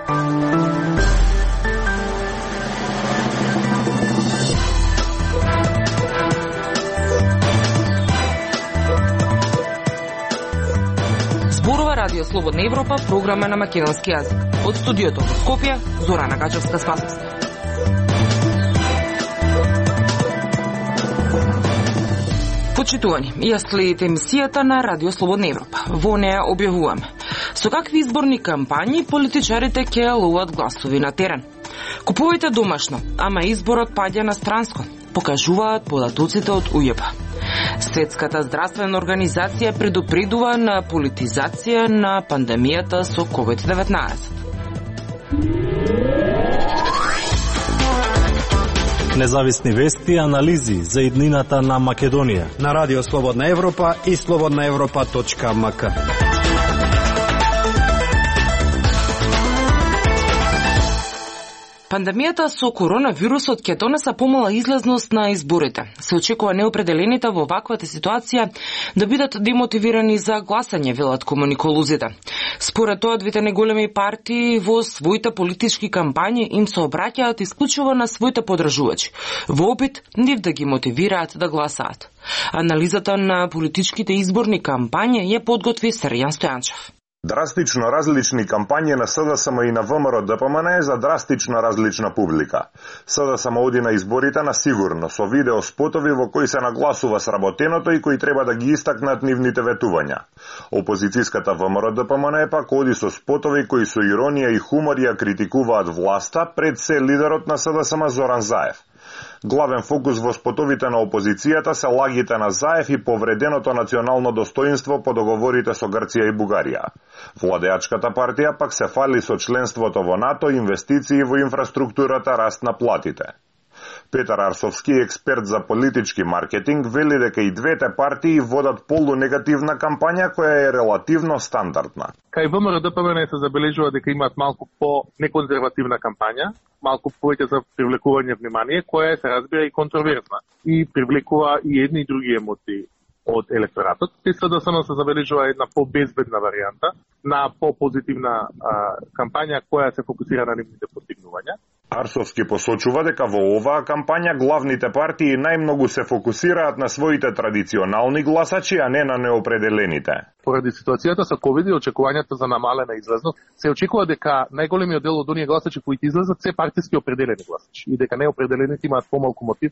Зборува Радио Слободна Европа, програма на македонски јазик. Од студиото во Скопје, Зорана Гачевска-Спасовска. Почитувани, ја следите емисијата на Радио Слободна Европа. Во неја објавуваме со какви изборни кампањи политичарите ќе ловат гласови на терен. Купувајте домашно, ама изборот паѓа на странско, покажуваат податоците од УЈП. Светската здравствена организација предупредува на политизација на пандемијата со COVID-19. Независни вести и анализи за иднината на Македонија на Радио Слободна Европа и slobodnaevropa.mk. Пандемијата со коронавирусот ќе донесе помала излезност на изборите. Се очекува неопределените во ваквата ситуација да бидат демотивирани за гласање, велат комуниколозите. Според тоа, двете најголеми партии во своите политички кампањи им се обраќаат исклучиво на своите подржувачи, во опит нив да ги мотивираат да гласаат. Анализата на политичките изборни кампањи ја подготви Срјан Стојанчев. Драстично различни кампањи на СДСМ и на ВМРО-ДПМН за драстично различна публика. СДСМ оди на изборите на сигурно, со видео спотови во кои се нагласува сработеното и кои треба да ги истакнат нивните ветувања. Опозицијската ВМРО-ДПМН пак оди со спотови кои со иронија и хумор ја критикуваат власта, пред се лидерот на СДСМ Зоран Заев. Главен фокус во спотовите на опозицијата се лагите на Заев и повреденото национално достоинство по договорите со Грција и Бугарија. Владеачката партија пак се фали со членството во НАТО, инвестиции во инфраструктурата, раст на платите. Петар Арсовски, експерт за политички маркетинг, вели дека и двете партии водат полунегативна кампања која е релативно стандардна. Кај ВМРО-ДПМН се забележува дека имаат малку по-неконзервативна кампања, малку повеќе за привлекување внимание, која се разбира и контроверзна и привлекува и едни и други емоции од електоратот. СДСМ се забележува една по-безбедна варијанта на по-позитивна кампања која се фокусира на нивните постигнувања. Арсовски посочува дека во оваа кампања главните партии најмногу се фокусираат на своите традиционални гласачи, а не на неопределените. Поради ситуацијата со ковид и очекувањата за намалена излезност, се очекува дека најголемиот дел од оние гласачи кои излезат се партиски определени гласачи и дека неопределените имаат помалку мотив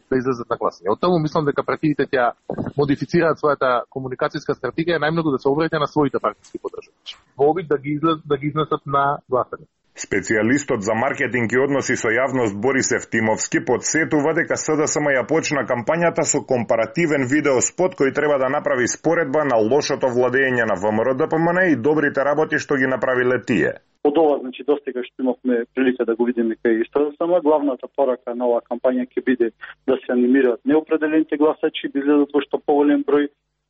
да излезат на гласање. Од таму мислам дека партиите ќе модифицираат својата комуникацијска стратегија најмногу да се обраќа на своите партиски поддржувачи. Во обид да ги изнесат на гласање. Специјалистот за маркетинг и односи со јавност Борис Евтимовски подсетува дека СДСМ ја почна кампањата со компаративен видеоспот кој треба да направи споредба на лошото владење на ВМРО-ДПМН и добрите работи што ги направиле тие. Од ова, достига што имавме прилика да го видиме кај СДСМ, главната порака на оваа кампања ќе биде да се анимираат неопределените гласачи, да излезат во што поголем број,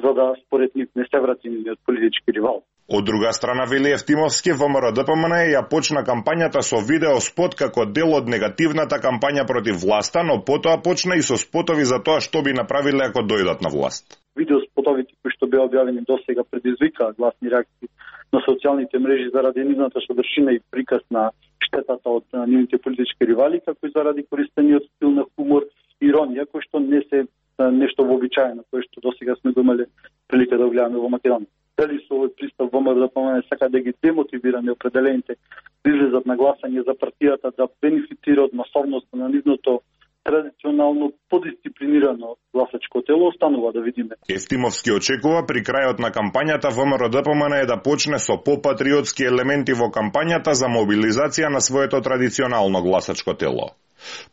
за да според нив не се врати нивниот политички ривал. Од друга страна, вели Евтимовски, ВМРО-ДПМН ја почна кампањата со видеоспот како дел од негативната кампања против власта, но потоа почна и со спотови за тоа што би направиле ако дојдат на власт. Видеоспотовите кои што беа објавени досега предизвикаа гласни реакции на социјалните мрежи заради нивната содржина и приказ на штетата од нивните политички ривали, како и заради користениот стил на хумор и иронија, кој што не се нешто вообичаено, кој што досега сме го имале прилика да гледаме во Македонија. Дали со овој пристап ВМРО-ДПМН сака да ги демотивира неопределените да излезат на гласање за партијата да бенефитира од масовноста на нивното традиционално подисциплинирано гласачко тело, останува да видиме. Евтимовски очекува при крајот на кампањата ВМРО-ДПМН да почне со попатриотски елементи во кампањата за мобилизација на своето традиционално гласачко тело.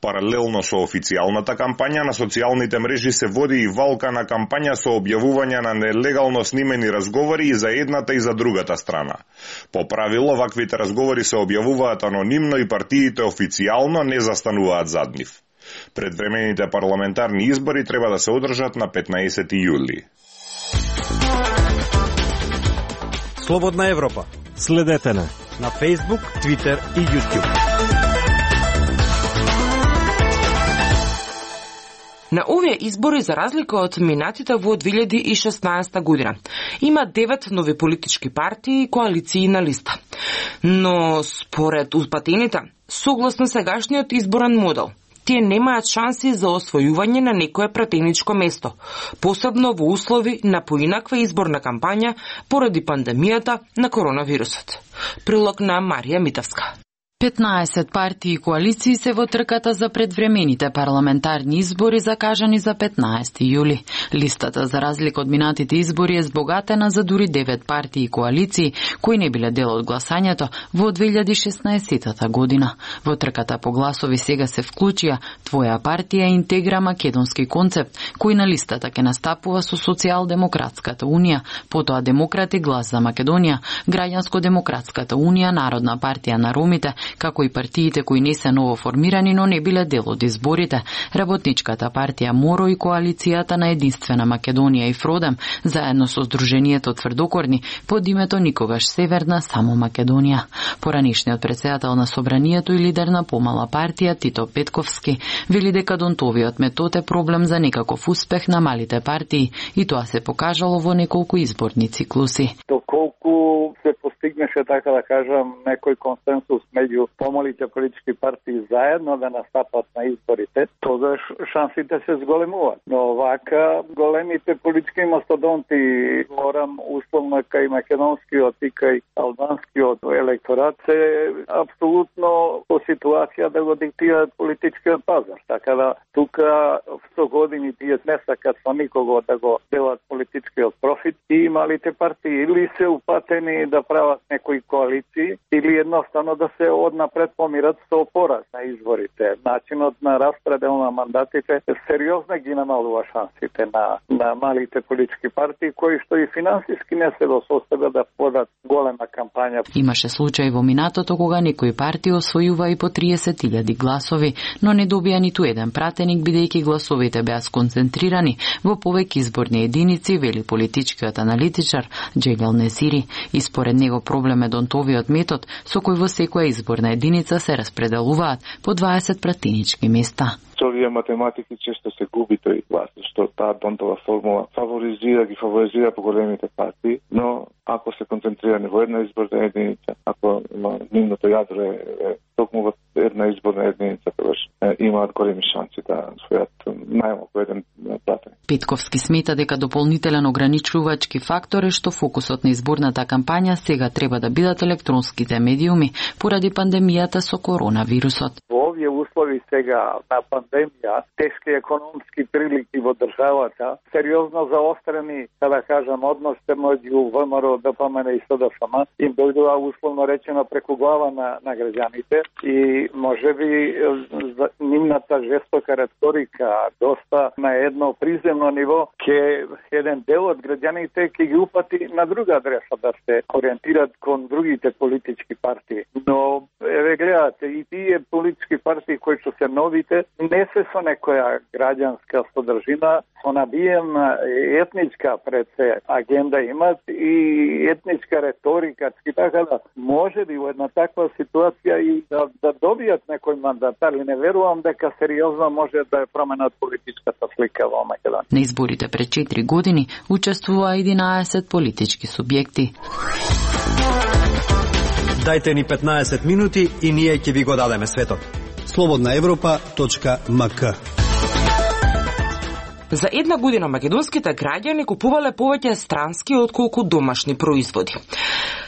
Паралелно со официјалната кампања на социјалните мрежи се води и валка на кампања со објавување на нелегално снимени разговори и за едната и за другата страна. По правило, ваквите разговори се објавуваат анонимно и партиите официјално не застануваат зад нив. Предвремените парламентарни избори треба да се одржат на 15 јули. Слободна Европа. Следете на Facebook, Twitter и YouTube. На овие избори, за разлика од минатите во 2016 година, има 9 нови политички партии и коалиции на листа. Но според упатените, согласно сегашниот изборен модел, тие немаат шанси за освојување на некое пратеничко место, посебно во услови на поинаква изборна кампања поради пандемијата на коронавирусот. Прилог на Марија Митевска. 15 партии и коалиции се во трката за предвремените парламентарни избори закажани за 15 јули. Листата, за разлика од минатите избори, е збогатена за дури 9 партии и коалиции кои не биле дел од гласањето во 2016 година. Во трката по гласови сега се вклучија Твоја партија Интегра Македонски концепт, кој на листата ќе настапува со Социјалдемократската унија, потоа Демократи глас за Македонија, Граѓанско-демократската унија, Народна партија на ромите, како и партиите кои не се ново формирани, но не биле дел од изборите, Работничката партија МОРО и коалицијата на Единствена Македонија и Фродем, заедно со Сдруженијето Тврдокорни, под името Никогаш Северна, само Македонија. Поранишниот претседател на Собранието и лидер на помала партија Тито Петковски вели дека Донтовиот метод е проблем за некаков успех на малите партии и тоа се покажало во неколку изборни циклуси. Доколку се постигнеше, така да кажам, некој консенсус меѓу помалите политички партии заедно да настапат на изборите, тогаш шансите се зголемуваат. Но вака големите политички мастодонти, морам условно кај македонскиот и кај албанскиот електорат, се апсолутно по ситуација да го диктираат политичкиот пазар. Така да тука со години тие не сакат со никого да го делат политичкиот профит и малите партии или се упатени да прават некои коалиции или едноставно да се однапред помират со пораз на изборите. Начинот на распредел на мандатите сериозно ги намалува шансите на малите политички партии, кои што и финансиски не се до состојба да подат голема кампања. Имаше случај во минатото кога некои партии освојува и по 30.000 гласови, но не добија ниту еден пратеник, бидејќи гласовите беа сконцентрирани во повеќе изборни единици, вели политичкиот аналитичар Джелел Несири. И според него проблем е Донтовиот метод со кој во секоја изборна единица се распределуваат по 20 пратенички места. Со овие математики често се губи тој глас, што таа Донтова формула фаворизира поголемите партии, но ако се концентрирани во една изборна единица, ако нивното јадро е токму во една изборна единица, тогаш имаат големи шанси да освојат најмалку еден пратеник. Петковски смета дека дополнителен ограничувачки фактор е што фокусот на изборната кампања сега треба да бидат електронските медиуми поради пандемијата со коронавирусот. Во овие услови сега на пандемија, тешки економски прилики во државата, сериозно заострени, да кажам, односите меѓу ВМРО, ДПМН и СДСМ, им дојдува условно речено преку глава на граѓаните и можеби нивната жестока реторика доста на едно приземно ниво ќе еден дел од граѓаните ќе ги упати на друга адреса да се ориентират кон другите политички партии. Но гледате и тие политички партии кои што се новите не се со некоја граѓанска содржина, со набиена етничка пред се агенда имат и етничка реторика, така да може би во една таква ситуација и да добијат некој мандатар, и не верувам дека сериозно може да е променат политичката слика во Македонија. На изборите пред 4 години учествуваа 11 политички субјекти. Дајте ни 15 минути и ние ќе ви го дадеме светот. slobodnaevropa.mk. За една година македонските граѓани купувале повеќе странски отколку домашни производи.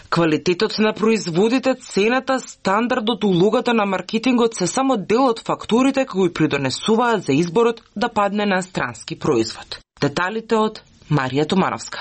Квалитетот на производите, цената, стандардот, улогата на маркетингот се само дел од факторите кои придонесуваат за изборот да падне на странски производ. Деталите од Марија Томановска.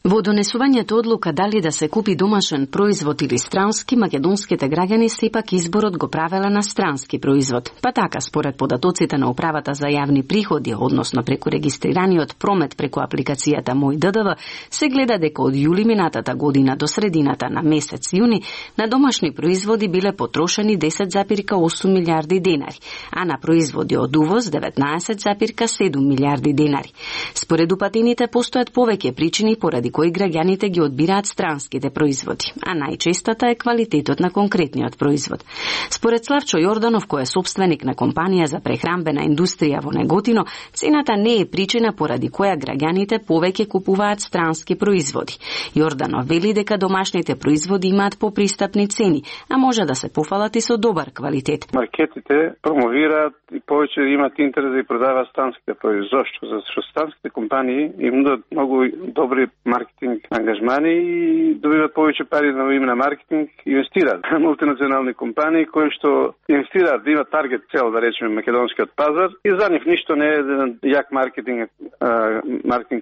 Во донесувањето одлука дали да се купи домашен производ или странски, македонските граѓани сепак изборот го правеле на странски производ. Па така, според податоците на Управата за јавни приходи, односно преку регистрираниот промет преку апликацијата Мој ДДВ, се гледа дека од јули минатата година до средината на месец јуни на домашни производи биле потрошени 10,8 милиарди денари, а на производи од увоз 19,7 милиарди денари. Според упатените постојат повеќе причини поради кои граѓаните ги одбираат странските производи, а најчестата е квалитетот на конкретниот производ. Според Славчо Јорданов, кој е собственик на компанија за прехранбена индустрија во Неготино, цената не е причина поради која граѓаните повеќе купуваат странски производи. Јорданов вели дека домашните производи имаат попристапни цени, а може да се пофалат и со добар квалитет. Маркетите промовираат и повеќе имаат интерес да и продаваат странските производи. Зошто? Зашто странските компании им нудат многу добри маркетинг ангажмани и добиваат повеќе пари на име на маркетинг, инвестираат. Мултинационални компании кои што инвестираат да имаат таргет цел, да речеме македонскиот пазар, и за нив ништо не е јак маркетинг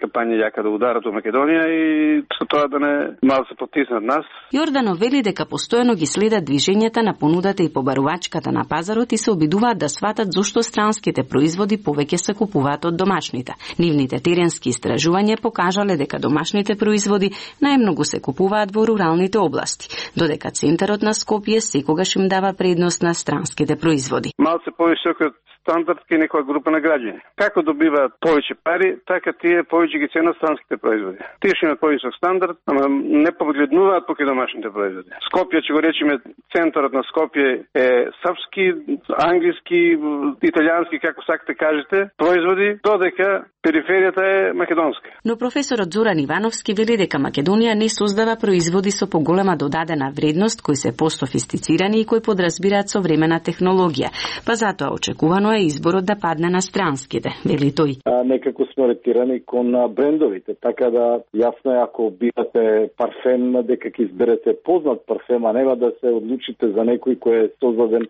кампања јака да ударат во Македонија и со тоа да не мал се потиснат нас. Јорданов вели дека постојано ги следат движењата на понудата и побарувачката на пазарот и се обидуваат да сватат зошто странските производи повеќе се купуваат од домашните. Нивните теренски истражувања покажале дека домашните производи најмногу се купуваат во руралните области, додека центарот на Скопје секогаш им дава предност на странските производи. Малце повисокот стандард кај некоја група на граѓани. Како добиваат повеќе пари, така тие повеќе ги ценат странските производи. Тие што имаат повисок стандард, ама не погледнуваат покрај домашните производи. Скопје, ќе го речеме, центарот на Скопје е српски, англиски, италијански, како сакате кажете, производи, додека периферијата е македонска. Но професорот Зоран Ивановски вели дека Македонија не создава производи со поголема додадена вредност, кои се пософистицирани и кои подразбираат современа технологија, па затоа очекувано е изборот да падне на странските, вели тој. Некако сме ориентирани кон брендовите, така да јасно е ако бирате парфем, дека ќе изберете познат парфем, а нема да се одлучите за некој кој е создаден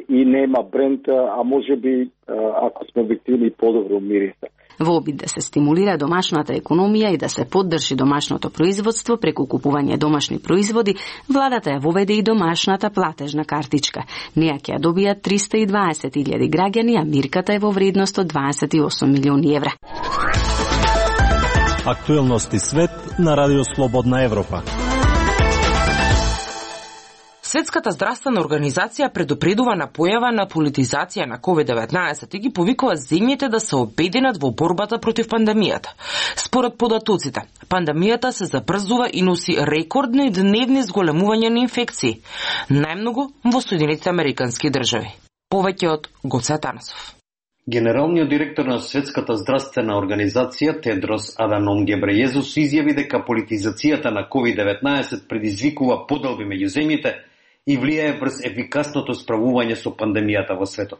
и нема бренд, а може би, ако сме објективни, подобро мириса. Во обид да се стимулира домашната економија и да се поддржи домашното производство преку купување домашни производи, владата ја воведе и домашната платежна картичка. Неја ќе ја добијат 320.000 граѓани, а мирката е во вредност од 28 милиони евра. Актуелности свет на Радио Слободна Европа. Светската здравствена организација предупредува на појава на политизација на COVID-19 и ги повикува земјите да се обединат во борбата против пандемијата. Според податоците, пандемијата се забрзува и носи рекордни дневни зголемувања на инфекции, најмногу во Соединетите Американски држави. Повеќе од Гоце Атанасов. Генералниот директор на Светската здравствена организација Тедрос Аданом Гебрејезус изјави дека политизацијата на COVID-19 предизвикува поделби меѓу земјите и влијае врз ефикасното справување со пандемијата во светот.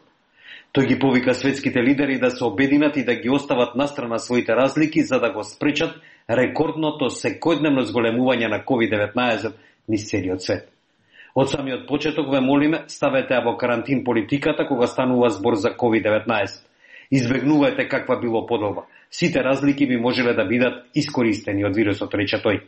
Тој ги повика светските лидери да се обединат и да ги остават настрана своите разлики за да го спречат рекордното секојдневно зголемување на COVID-19 низ целиот свет. Од самиот почеток ве молиме, ставете во карантин политиката кога станува збор за COVID-19. Избегнувајте каква било поделба. Сите разлики би можеле да бидат искористени од вирусот, рече тој.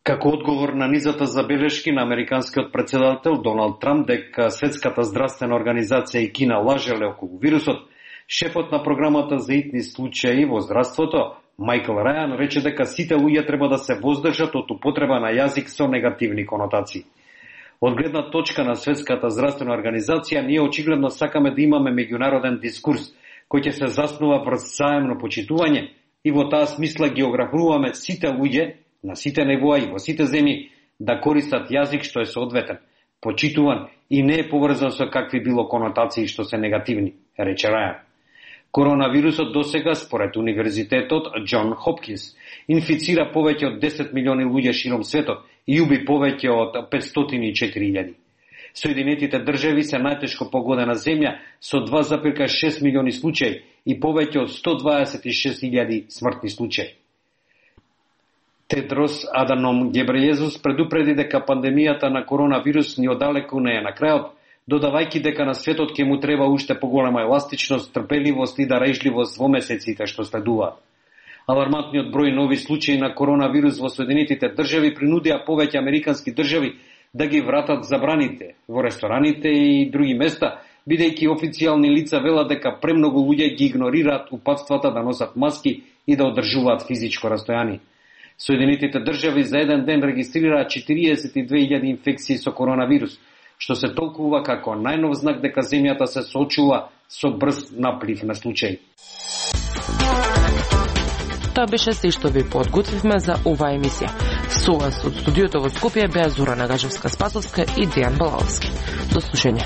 Како одговор на низата забелешки на американскиот претседател Доналд Трамп дека Светската здравствена организација и Кина лажеле околу вирусот, шефот на програмата за итни случаи во здравството, Майкл Рајан, рече дека сите луѓе треба да се воздржат од употреба на јазик со негативни конотации. Од гледна точка на Светската здравствена организација, ние очигледно сакаме да имаме меѓународен дискурс, кој ќе се заснува врз заемно почитување и во таа смисла ги ограбруваме сите луѓе на сите нивоа и во сите земји да користат јазик што е соодветен, почитуван и не е поврзан со какви било конотации што се негативни, рече Рајан. Коронавирусот досега, според Универзитетот Џон Хопкинс, инфицира повеќе од 10 милиони луѓе широм светот и уби повеќе од 504.000. Соединетите држави се најтешко погодена земја со 2,6 милиони случаи и повеќе од 126.000 смртни случаи. Тедрос Аданом Гебрејезус предупреди дека пандемијата на коронавирус ни одалеку не е на крајот, додавајќи дека на светот ќе му треба уште поголема еластичност, трпеливост и дарежливост во месеците што следуваат. Алармантниот број нови случаи на коронавирус во Соединетите држави принудија повеќе американски држави да ги вратат забраните во рестораните и други места, бидејќи официјални лица велат дека премногу луѓе ги игнорираат упатствата да носат маски и да одржуваат физичко растојание. Соединетите држави за еден ден регистрираат 42.000 инфекции со коронавирус, што се толкува како најнов знак дека земјата се соочува со брз наплив на случаи. Тоа беше се што ви подготвивме за оваа емисија. Со вас од студиото во Скопје беа Зора Нагажевска-Спасовска и Дејан Балаловски. До слушање.